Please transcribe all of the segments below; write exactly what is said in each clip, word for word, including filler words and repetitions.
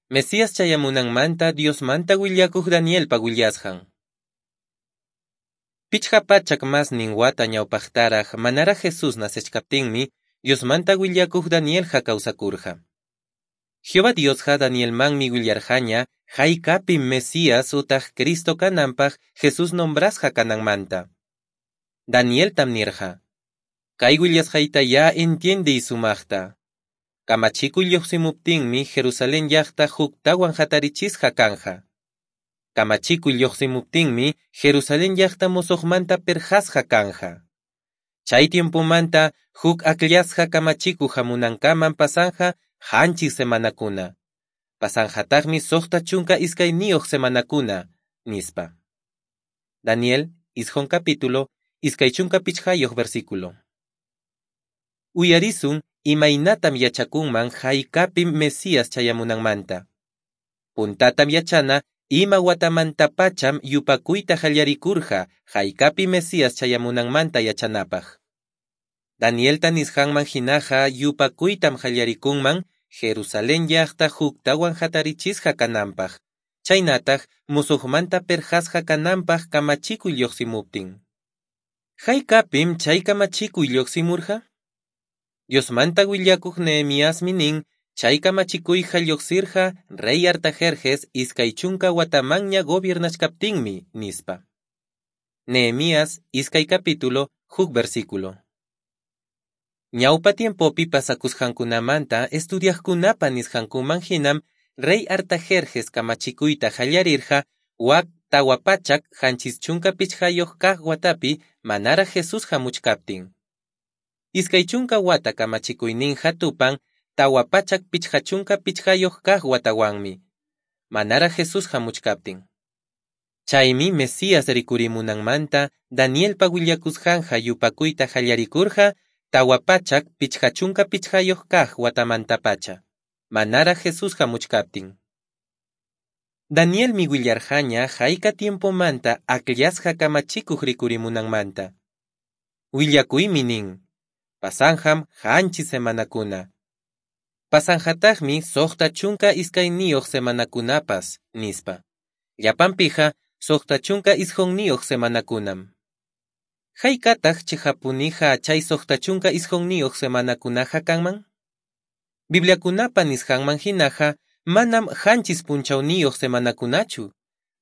Mesías chayamunanmanta Diosmanta willakuq Danielpa willasqan. Pichqa pachak masnin wata ñawpaqtaraq manaraq Jesús nacechkaptinmi Diosmanta willakuq Danielqa kawsakurqa. Jehová Diosqa Danielmanmi willarqaña haykapim Mesías utaq Cristo kananpaq Jesús nombrasqa kananmanta. Danieltam nirqa: Kay willasqayta ya entiendiy sumaqta. Kamachikuy lluqsimuptinmi Jerusalén llaqta huktawan hatarichisqa kanja. Kamachikuy lluqsimuptinmi Jerusalén llaqta musuqmanta pirqasqa kanja. Chay tiempomanta huk akllasqa kamachikuq hamunankaman pasanja qanchis semanakuna. Pasanjataqmi suqta chunka iskayniyuq semanakuna, nispa. Daniel, isqun capítulo, iskay chunka pichqayuq versículo. Uyarisun imaynatam yachakunman haykapim Mesías chayamunanmanta. Puntatam yachana ima watamantapacham yupakuyta qallarikurqa haykapi Mesías chayamunanmanta yachanapaq. Danielta nisqanman hinaqa yupakuytam qallarikunman Jerusalén llaqta huktawan hatarichisqa kananpaq, chaynataq musuqmanta pirqasqa kananpaq kamachikuy lluqsimuptin. Haykapim chay kamachikuy lluqsimurqa? Diosmanta willakuq Nehemiasmi nin chay kamachikuyqa lluqsirqa rey Artajerjes iskay chunka watamanña gobiernachkaptinmi, nispa. Nehemías iskay capítulo huk versículo. Ñawpa tiempopi pasakusqankunamanta estudiaqkunapa nisqankuman hinam rey Artajerjes kamachikuyta qallarirqa wak tawa pachak qanchis chunka pichqayuq kaq watapi manaraq Jesús hamuchkaptin. Iskay chunka wata kamachikuyninqa tupan tawa pachak pichqa chunka pichqayuq kaq watawanmi, manaraq Jesús hamuchkaptin. Chaymi Mesías rikurimunanmanta Danielpa willakusqanqa yupakuyta qallarikurqa tawa pachak pichqa chunka pichqayuq kaq watamantapacha, manaraq Jesús hamuchkaptin. Danielmi willarqaña hayka tiempomanta akllasqa kamachikuq rikurimunanmanta. Willakuymi nin: pasanjam qanchis semanakuna. Pasanjataqmi suqta chunka iskayniyuq semanakunapas, nispa. Llapanpiqa suqta chunka isqunniyuq semanakunam. Haykataq chiqapuniqa chay suqta chunka isqunniyuq semanakunaqa kanman? Bibliakunapa nisqanman hinaqa manam qanchis punchawniyuq semanakunachu,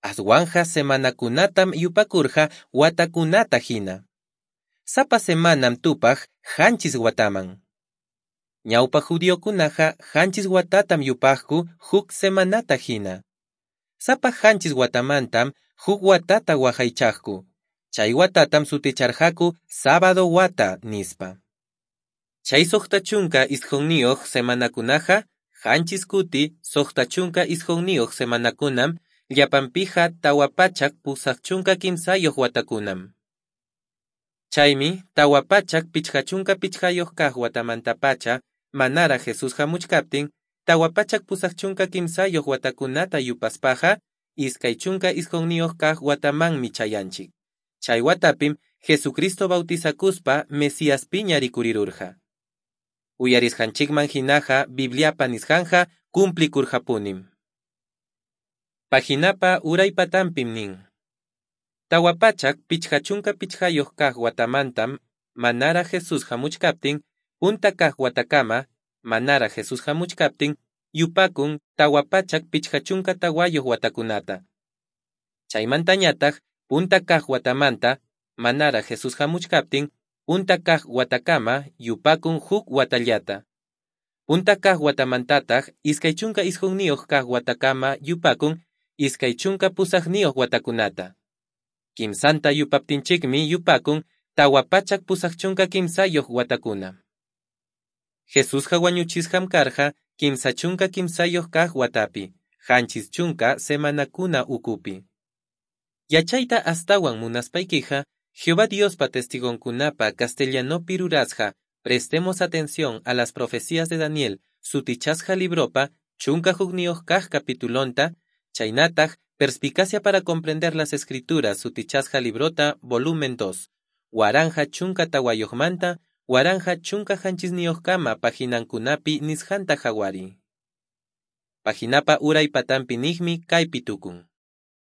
aswanqa semanakunatam yupakurqa watakunata hina. Sapa semanam tupaq qanchis wataman. Ñawpa judiokunaqa qanchis watatam yupaqku huk semanata hina. Sapa qanchis watamantam huk watata waqaychaqku. Chay watatam suticharqaku sábado wata nispa. Chay suqta chunka isqunniyuq semanakunaqa qanchis kuti suqta chunka isqunniyuq semanakunam llapanpiqa tawa pachak pusaq chunka kimsayuq watakunam. Chaymi tawa pachak pichqa chunka pichqayuq kaq watamantapacha manaraq Jesús hamuchkaptin tawa pachak pusaq chunka kimsayuq watakunata yupaspaqa iskay chunka isqunniyuq kaq watamanmi chayanchik. Chay watapim Jesucristo bautizakuspa Mesiaspiña rikurirurqa. Uyarisqanchikman hinaqa Bibliapa nisqanqa cumplikurqapunim. Paginapa uray patanpim nin: Tawa pachak pichqa chunka pichqayuq kaq watamantam manaraq Jesús hamuchkaptin punta kaq watakama manaraq Jesús hamuchkaptin yupakun tawa pachak pichqa chunka tawayuq watakunata. Chaymantañataq punta kaq watamanta manaraq Jesús hamuchkaptin punta kaq watakama yupakun huk watallata. Punta kaq watamantataq iskay chunka isqunniyuq kaq watakama yupakun iskay chunka pusaqniyuq watakunata. Kimsanta yupaptinchikmi yupakun tawa pachak pusaq chunka kimsayuq watakuna. Jesusqa wañuchisqam karqa kimsa chunka kimsayuq kaq watapi, qanchis chunka semanakuna ukupi. Yachayta astawan munaspaykiqa, Jehová Diospa testigonkunapa castellanopi rurasqa Prestemos atención a las profecías de Daniel sutichasqa libropa chunka hukniyuq kaq capitulonta, chaynataq Perspicacia para comprender las escrituras sutichasqa librota volumen dos, waranja chunka tawayuqmanta, waranja chunka qanchisniyuqkama paginankunapi nisqanta qhawariy. Paginapa uray patanpi niqmi kaypi tukun.